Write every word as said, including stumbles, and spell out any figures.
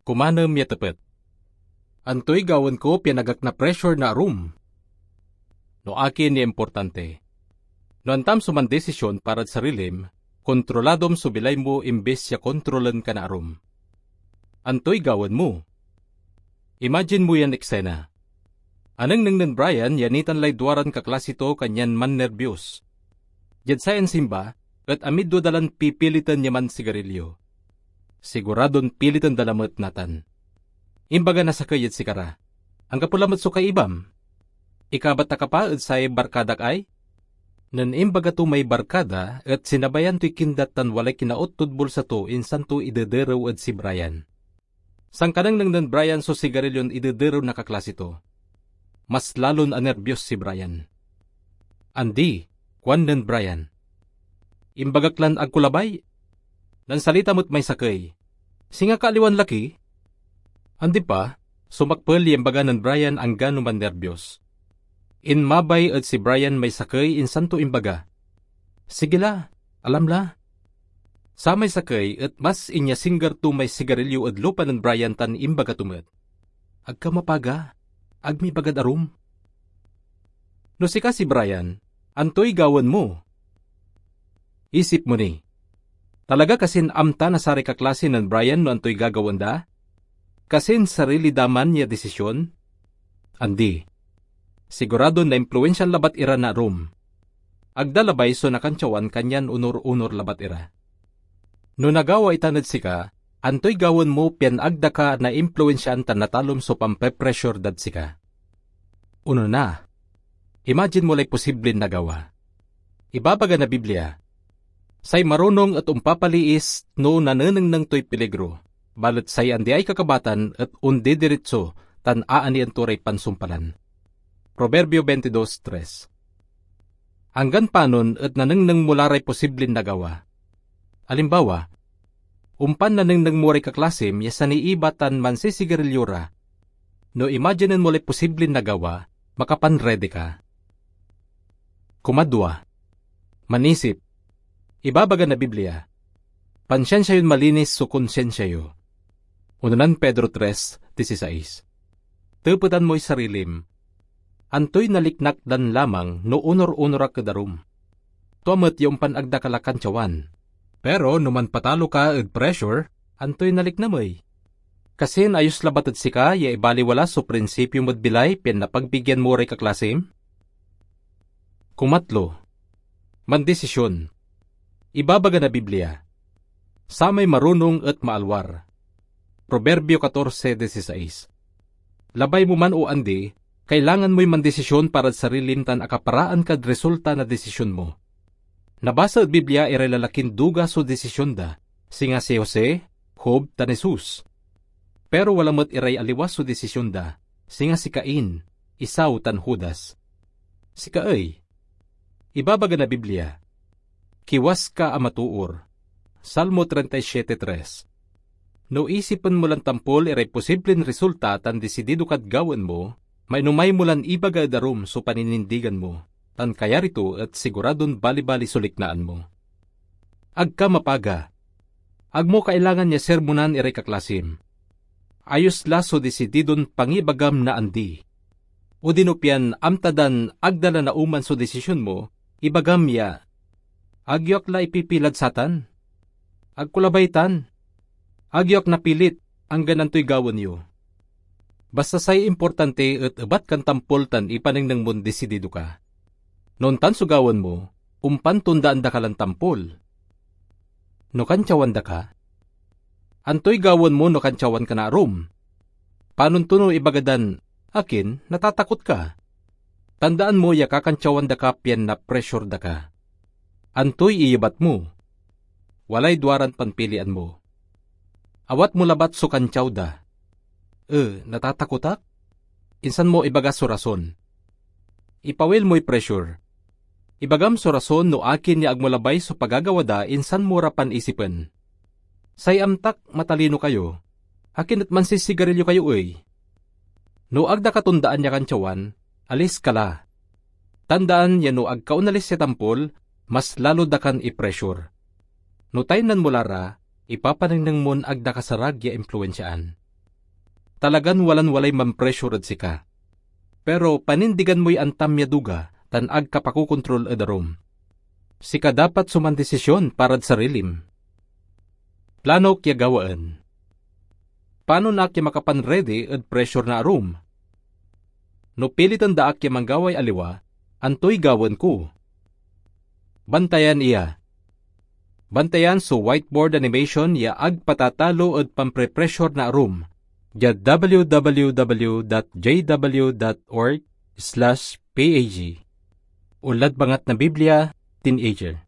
Kumanem ya tepet, antoy gawaen ko pian agak na-pressure na arum? No akin ya importante? No antam so mandesisyon parad sarilim, kontroladom so bilay mo imbis ya kontrolen ka na arum. Antoy gawaen mo? Imagine mo yan eksena. Anengneng nen Brian ya nitan lay duaran kaklase to kanyan mannerbios. Diad sayan simba, et amidwa da lan pipiliten ya mansigarilyo. Siguradon piliten da lamet natan. Imbaga na sakey ed sikara, "Anggapo lamet so kaibam. Ikabat ta ka pa ed say barkadak ay?" Nen imbaga to may barkada, et sinabayan toy kindat tan walay kinaot tod bulsa to, insan to idederew ed si Brian. Sankanengneng nen Brian so sigarilyon idederew na kaklase to. Mas lalon anerbios si Brian. "Andi," kuan nen Brian. "Imbagak lan ag ko labay." Nansalita met may sakey, "Singa ka aliwan laki?" Andi pa, sumakpel ya imbaga nen Brian anggano mannerbios. Inmabay ed si Brian may sakey insan to imbaga, "Sige la, alam la." Samay sakey et mas inyasingger to may sigarilyo ed lupa nen Brian tan imbaga to met, "Ag ka mapaga, ag mi ibagad arum." No sika si Brian, antoy gawaen mo? Isip mo ni, talaga kasin amta na saray kaklase nen Brian no antoy gagawaen da? Kasin sarili da man ya desisyon? Andi. Siguradon naimpluensiaan labat ira na arum. Ag da labay so nakantiawan kanyan onor-onor labat ira. No nagawa itan ed sika, antoy gawaen mo pian ag da ka naimpluensiaan tan natalom so pampepressure dad sika? Onona, imagine mo lay posiblin nagawa. Ibabaga na Biblia, "Say marunong et ompapaliis no nanenengneng toy piligro, balet say andiay kakabatan et ondidiritso tan aanien to ray pansumpalan." Proverbio twenty-dos tres. Anggan panon et nanengneng mo la ray posiblin nagawa. Alimbawa, ompan nanengneng mo ray kaklasim ya saniiba tan mansisigarilyo ra. No imaginen mo lay posiblin nagawa, makapanredi ka. Kumadwa, manisip. Ibabaga na Biblia, "Pansiansia yon malinis so konsiensia yo." Unonan Pedro tres dieciséis. Tepetan moy sarilim, "Antoy naliknak dan lamang no onor-onor ak ed arum?" Tua met ya ompan ag da ka la kantiawan. Pero no manpatalo ka ed pressure, antoy nalikna mi? Kasin ayos labat ed sika ya ibaliwala so prinsipyo mod bilay pian napagbigyan mo ray kaklasim? Kumatlo, mandesisyon. Ibabaga na Biblia, "Samay marunong et maalwar." Proverbio catorce dieciséis. Labay mo man o andi, kailangan moy mandesisyon parad sarilim tan akaparaan kad resulta na desisyon mo. Nabasa ed Biblia iray lalakin duga so desisyon da, singa si Jose, Job, tan Jesus. Pero wala met iray aliwa so desisyon da, singa si Cain, Esau, tan Judas. Sika ey, ibabaga na Biblia, "Kiwas ka a matoor." Salmo treinta y siete tres. No isipen mo lan tampol iray posiblin resulta tan disidido kad gawaen mo, mainomay mo lan ibaga ed arum so paninindigan mo, tan kayari to et siguradon balibali so liknaan mo. Ag ka mapaga. Ag mo kailangan ya sermonan iray kaklasim. Ayos la so disididon pangibagam na andi. Odino pian amta dan ag da la naoman so desisyon mo, ibagam ya, "Ag yo ak la ipipilad satan. Ag ko labay tan. Ag yo ak napilit, anggan antoy gawaen yo." Basta say importante et ebat kan tampol tan ipanengneng mon disidido ka. No ontan so gawaen mo, ompan tondaan da ka lan tampol. No kantiawan da ka, antoy gawaen mo no kantiawan ka na arum? Panon to no ibaga dan, "Akin, natatakot ka"? Tandaan mo ya kakantiawan da ka pian na-pressure da ka. Antoy iyebat mo? Walay duaran panpilian mo. Awat mo labat so kantiaw da. "E, natatakot ak." Insan mo ibaga so rason. Ipawil moy pressure. Ibagam so rason no akin ya ag mo labay so pagagawa da, insan mo ra panisipen. Say amtak matalino kayo, akin et mansisigarilyo kayo ey? No ag da katondaan ya kantiawan, alis ka la. Tandaan ya no ag ka onalis ya tampol, mas lalo da kan i-pressure. No taynan mo la ra, ipapanengneng mon ag da kasarag ya impluensiaan. talagan walan-walay mampressure ed sika. Pero panindigan moy antam ya duga tan ag ka pakokontrol ed arum. Sika dapat so mandesisyon parad sarilim. Plano ak ya gawaen. Panon ak ya makapan-ready ed pressure na arum? No piliten da ak ya manggaway aliwa, antoy gawaen ko? Bantayan iya. Bantayan so whiteboard animation ya ag patatalo ed pamprepressure na arum, diad w w w dot j w dot org slash p a g, onlad bangat na Biblia, Teenager.